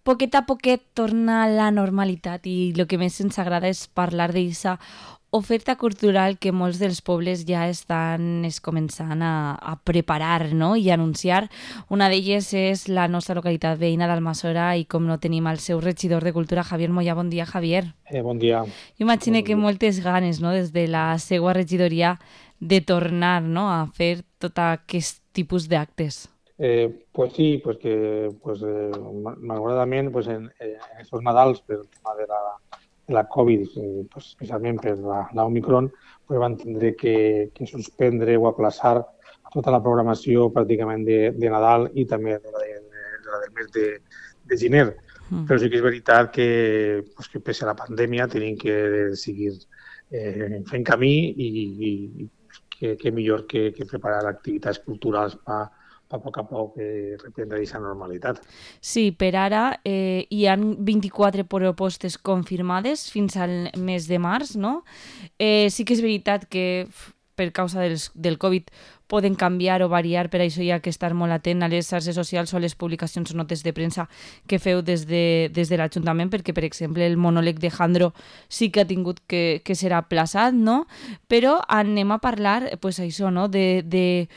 poquet a poquet torna a la normalitat i el que més ens agrada és parlar d'aquesta oferta cultural que molts dels pobles ja estan començant a preparar, no? I anunciar. Una d'elles és la nostra localitat veïna d'Almassora i com no tenim el seu regidor de Cultura, Javier Moya. Bon dia, Javier. Bon dia. Jo imagino que moltes ganes, no?, des de la seva regidoria de tornar, no?, a fer tot aquest tipus d'actes. Pues sí, pues que malauradament pues en estos Nadals, per el tema de la Covid, pues especialment per la Omicron, pues van tindre que suspendre o aplaçar tota la programació pràcticament de Nadal i també de la del mes de gener. Però sí que és veritat que pese a la pandèmia tenim que seguir fent camí i que millor que preparar activitats culturals per a poc reprendre aquesta normalitat. Sí, per ara hi ha 24 propostes confirmades fins al mes de març, no? Sí que és veritat que per causa del Covid poden canviar o variar, per això hi ha que estar molt atent a les xarxes socials o a les publicacions o notes de premsa que feu des de l'Ajuntament, perquè, per exemple, el monòleg de Jandro sí que ha tingut que ser aplaçat, no? Però anem a parlar, pues això, no?, de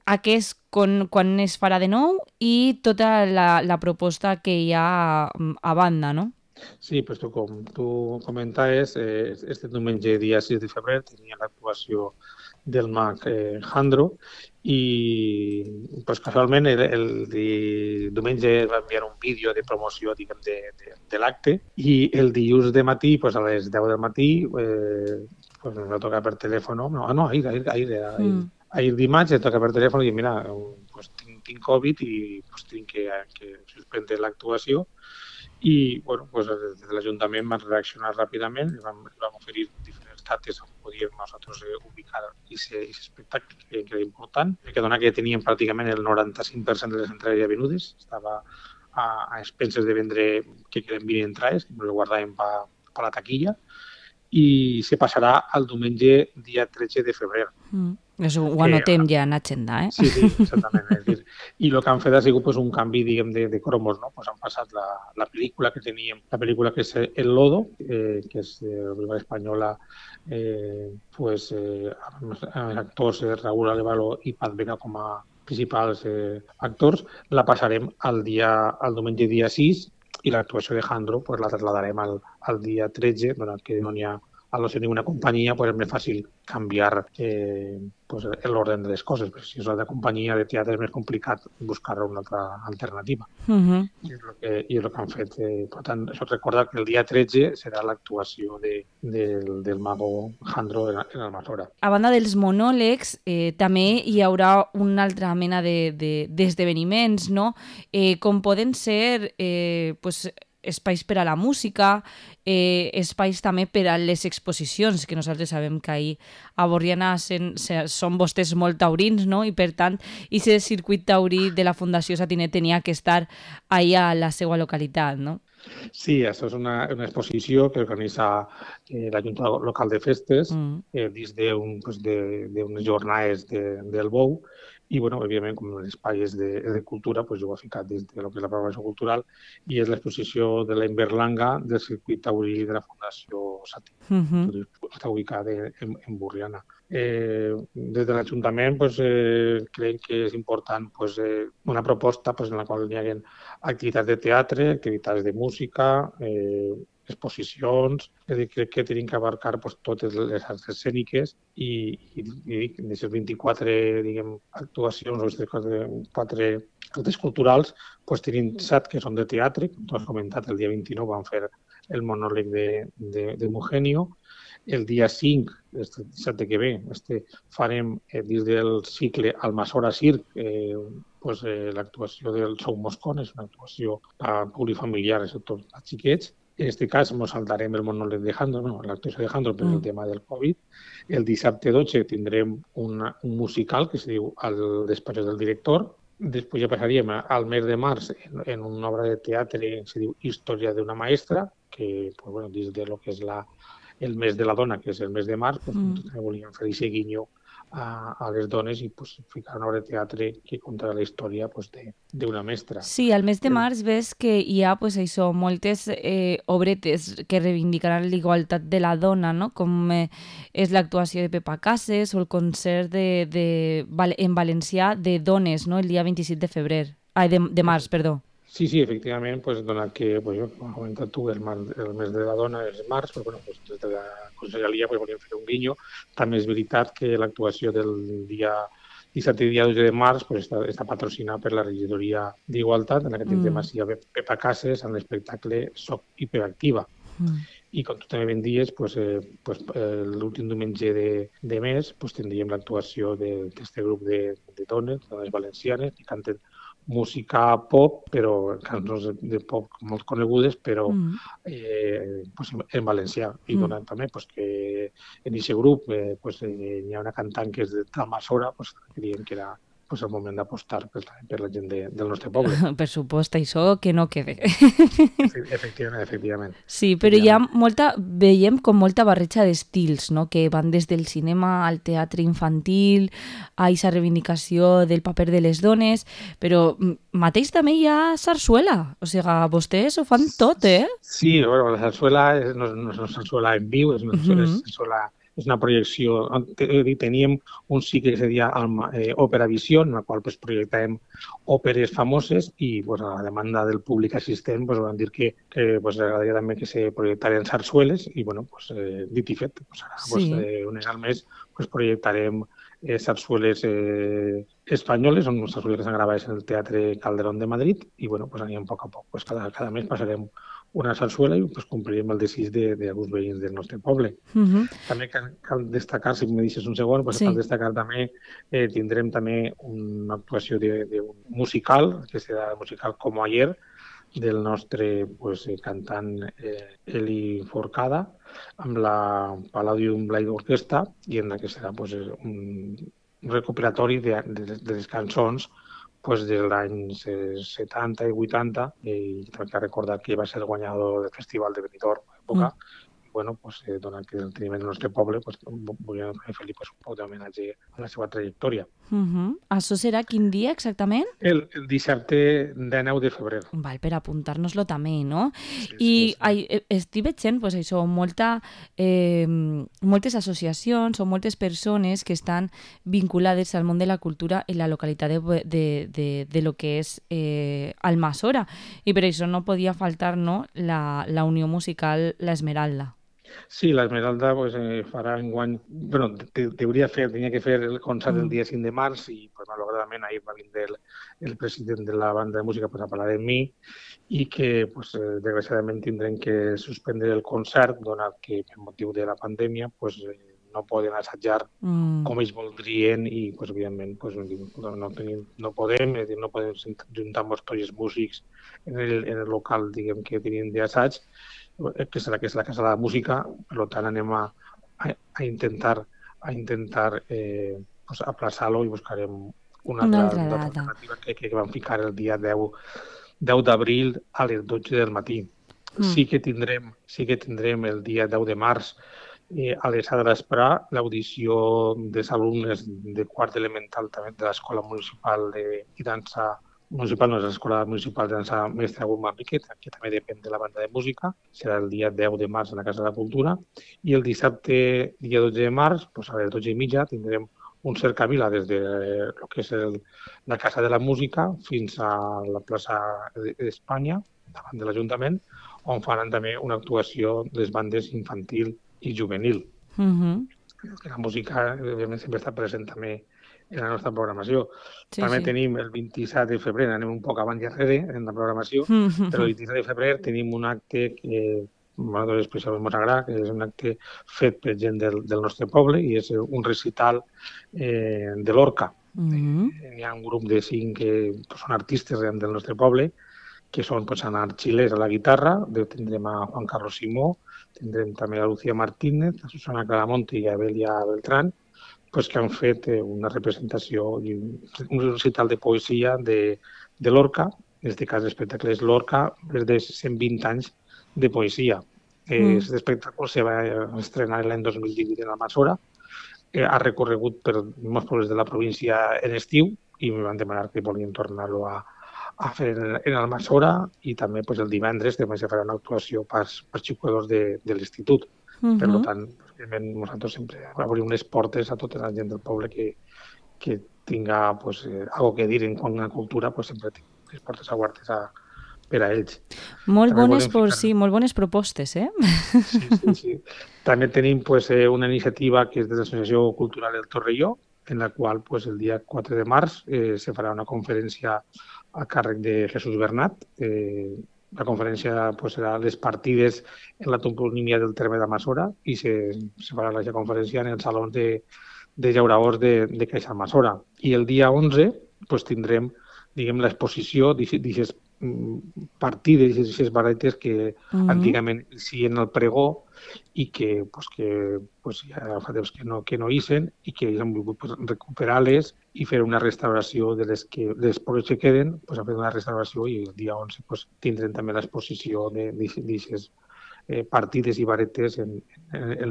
aquest quan es farà de nou i tota la proposta que hi ha a banda, no? Sí, pues com tu comentaves, este diumenge, dia 6 de febrer, tenia l'actuació del mag Jandro i pues, casualment el diumenge va enviar un vídeo de promoció diguem, de l'acte i el dilluns de matí, pues, a les 10 del matí, pues, em va tocar per telèfon, ahir dimarts em toca per telèfon i mira, pues, tinc Covid i pues, tinc que suspendre l'actuació. I bueno, pues, des de l'Ajuntament vam reaccionar ràpidament i vam oferir diferents dates on podíem nosaltres ubicar aquest espectacle que era important, perquè dona que teníem pràcticament el 95% de les entrades ja venudes, estava a expenses de vendre que queden 20 entrades, que ens ho guardàvem per la taquilla, i se passarà al diumenge dia 13 de febrer. Això ho anotem ja en agenda, eh? Sí, exactament. És dir, i el que han fet ha sigut pues, un canvi, diguem, de cromos, no? Pues han passat la pel·lícula que teníem, la pel·lícula que és El Lodo, que és de la pel·lícula espanyola, amb actors Raúl Alévalo i Pat Vega com a principals actors, la passarem al diumenge dia 6 i l'actuació de Jandro pues, la trasladarem al dia 13, donat que no n'hi ha al no ser ninguna companyia, pues és més fàcil canviar pues, l'ordre de les coses. Però si és la de companyia de teatre és més complicat buscar una altra alternativa. I és el que han fet. Per tant, això recorda que el dia 13 serà l'actuació del mago Jandro en Almassora. A banda dels monòlegs, també hi haurà una altra mena d'esdeveniments, no? Com poden ser pues, espais per a la música, espais també per a les exposicions, que nosaltres sabem que ahir a Borriana són vostès molt taurins, no? I per tant, aquest circuit taurí de la Fundació Satinet tenia que estar allà a la seva localitat, no? Sí, això és una exposició que organitza la Junta Local de Festes dins d'unes jornades del Bou i, bueno, òbviament, com l'espai és de cultura, pues, jo ho he ficat dins de lo que és la programació cultural i és l'exposició de la Inverlanga del circuit taurí de la Fundació Satinet. Està ubicada en Borriana. Des de l'Ajuntament pues, creiem que és important pues, una proposta pues, en la qual hi hagi activitats de teatre, activitats de música, exposicions, és a dir, crec que tenim que abarcar pues, totes les arts escèniques i d'aquestes 24 diguem, actuacions o aquestes 4 actes culturals pues, tenim 7 que són de teatre, com tu has comentat, el dia 29 vam fer el monòleg de Eugenio. El dia 5, este dissabte que ve, farem dins del cicle Almassora Circ l'actuació del Sou Moscon, és una actuació plurifamiliar, sobretot a xiquets. En aquest cas ens saltarem el monòleg de Jandro, no, l'actuació de Jandro per el tema del Covid. El dissabte 12 tindrem un musical que es diu El despatx del director. Després ja passaríem al mes de març en una obra de teatre que es diu Història d'una maestra, que pues, bueno, dins de lo que és el mes de la dona, que és el mes de març, doncs també volíem fer aquest guinyo a les dones i pues, ficar una obra de teatre que conta la història pues, d'una mestra. Sí, al mes de març ves que hi ha pues, això, moltes obretes que reivindicaran la igualtat de la dona, no? Com és l'actuació de Pepa Casas o el concert en valencià de dones, no? El dia 27 de febrer. Ai, de març, perdó. Sí, efectivament, pues, donat que, pues, com has comentat tu, el mes de la dona és març, però bueno, pues, des de la Conselleria pues, volíem fer un guinyo. També és veritat que l'actuació del dia 17 i dia 12 de març pues, està patrocinada per la regidoria d'Igualtat, en aquest tema sí hi ha Pepa Casas en l'espectacle Soc hiperactiva. I com tu també ben dies, pues, l'últim diumenge de mes pues, tindríem l'actuació d'aquest grup de dones valencianes, que canten música pop, però cançons de pop molt conegudes, però pues, en valencià. I donant també pues, que en aquest grup pues, hi ha una cantant que és d'Almassora, pues, creiem que era pues, el moment d'apostar per la gent del nostre poble. Per supost, això que no quede. Efectivament. Sí, però hi ha veiem com molta barreja d'estils, no? Que van des del cinema al teatre infantil, a aquesta reivindicació del paper de les dones, però mateix també hi ha sarsuela, o sigui, vostès ho fan tot, eh? Sí, bueno, la sarsuela no és una sarsuela en viu, és una sarsuela és una projecció. Teníem un cicle que seria Òpera Visió, en el qual pues, projectàvem òperes famoses i pues, a la demanda del públic assistent pues, van dir que pues, agradaria també que se projectaren sarsueles i, bueno, pues, dit i fet, pues, ara, pues, un any al mes pues, projectarem sarsueles espanyoles, són sarsueles que s'han gravat en el Teatre Calderón de Madrid i, bueno, pues, anirem a poc a poc. Pues, cada mes passarem una sarsuela i pues, complirem el desig d'alguns veïns del nostre poble. També cal destacar, si me deixes un segon, pues, cal destacar també, tindrem també una actuació d'un musical, que serà el musical Como Ayer, del nostre pues, cantant Eli Forcada, amb la Palladium Blade Orquestra, i en la que serà pues, un recuperatori de les cançons pues, dels anys 70 i 80, i també cal recordar que va ser el guanyador del Festival de Benidorm a l'època, bueno, pues, donat que el tenim en el nostre poble, pues, volíem fer-li pues, un poc d'homenatge a la seva trajectòria. Això serà quin dia exactament? El dissabte de 9 de febrer. Val, per apuntar-nos-lo també, no? Sí. Estic veient pues, això, moltes associacions o moltes persones que estan vinculades al món de la cultura en la localitat de lo que és Almassora. I per això no podia faltar no, la unió musical La Esmeralda. Sí, l'Esmeralda pues, farà enguany... Bueno, tenia que fer el concert el dia 5 de març i pues, malauradament ahir va vindre el president de la banda de música pues, a parlar amb mi i que pues, desgraciadament tindrem que suspendre el concert donat que per motiu de la pandèmia pues, no poden assajar com ells voldrien i pues, evidentment pues, no podem juntar tots els músics en el local diguem, que tenim d'assaig que és la Casa de la Música, per tant anem a intentar pues, aplaçar-lo i buscarem una altra alternativa que vam ficar el dia 10 d'abril a les 12 del matí. Sí que tindrem el dia 10 de març a les de l'Esprà l'audició dels alumnes de quart elemental també de l'Escola Municipal de Dansa municipal, no és l'Escola Municipal de Dansa Mestre Agut Manrique, que també depèn de la banda de música, serà el dia 10 de març a la Casa de la Cultura, i el dissabte, dia 12 de març, pues a les 12:30, tindrem un cercavila des de lo que és la Casa de la Música fins a la plaça d'Espanya, davant de l'Ajuntament, on faran també una actuació de les bandes infantil i juvenil. La música, òbviament, sempre està present també en la nostra programació. També tenim el 27 de febrer, anem un poc avant i darrere en la programació, però el 27 de febrer tenim un acte que a nosaltres especialment ens agrada, que és un acte fet per gent del nostre poble i és un recital de l'Orca. Hi ha un grup de 5 que són artistes del nostre poble, que són Anar Xilès a la guitarra, tindrem a Juan Carlos Simó, tindrem també a Lucía Martínez, a Susana Claramonte i a Belia Beltrán, pues, que han fet una representació i un recital de poesia de l'Orca, en aquest cas l'espectacle és l'Orca, des de 120 anys de poesia. Aquest espectacle se va estrenar l'any 2018 en Almassora ha recorregut per molts pobles de la província en estiu i em van demanar que volien tornar-lo a fer en Almassora i també pues, el divendres també se farà una actuació per jugadors de l'institut. Per tant, nosaltres sempre obrim les portes a tota la gent del poble que tinga pues, algo que dir en quant a cultura, pues, sempre tinc les portes obertes per a ells. Molt bones propostes, eh? Sí. També tenim pues, una iniciativa que és de l'Associació Cultural del Torrelló, en la qual pues, el dia 4 de març se farà una conferència a càrrec de Jesús Bernat. La conferència pues, serà les partides en la toponímia del terme d'Almassora i se farà la conferència en el saló de llauradors de Caixa Almassora. I el dia 11 pues, tindrem l'exposició d'aquestes partides, d'aquestes baretes que antigament sí en el pregó i que ja fa temps que no hicen i que hem volgut recuperar-les i fer una restauració de les pobles que queden, ha fet una restauració i el dia 11 tindrem també l'exposició d'aquestes partides i baretes en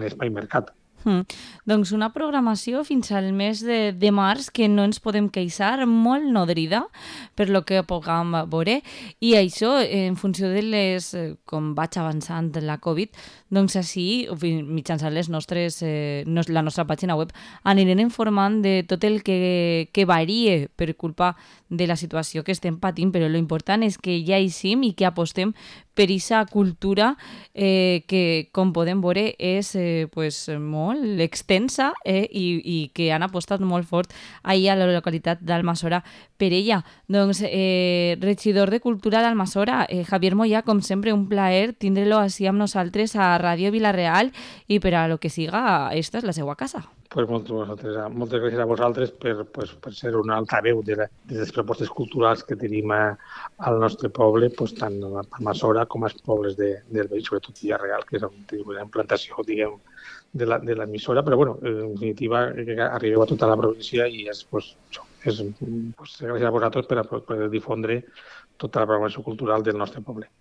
l'espai mercat. Doncs una programació fins al mes de març que no ens podem queixar, molt nodrida per lo que puguem veure, i això en funció de com vaig avançant la Covid, doncs així, mitjançant la nostra pàgina web, anirem informant de tot el que varie per culpa de la situació que estem patint, però l'important és que ja hi i que apostem per aquesta cultura que, com podem veure, és molt extensa i que han apostat molt fort ahir a la localitat d'Almassora per ella. Doncs, regidor de Cultura d'Almassora, Javier Moyà, com sempre, un plaer tindre-lo així amb nosaltres a Ràdio Vila-real i per a lo que siga, esta és la seva casa. Pues moltes gràcies a vosaltres per ser una altaveu de les propostes culturals que tenim al nostre poble, tant a Almassora com als pobles del Vell, sobretot Vila-real, que és una implantació, diguem, de l'emissora, però en definitiva arribeu a tota la província i gràcies a vosaltres per difondre tota la programació cultural del nostre poble.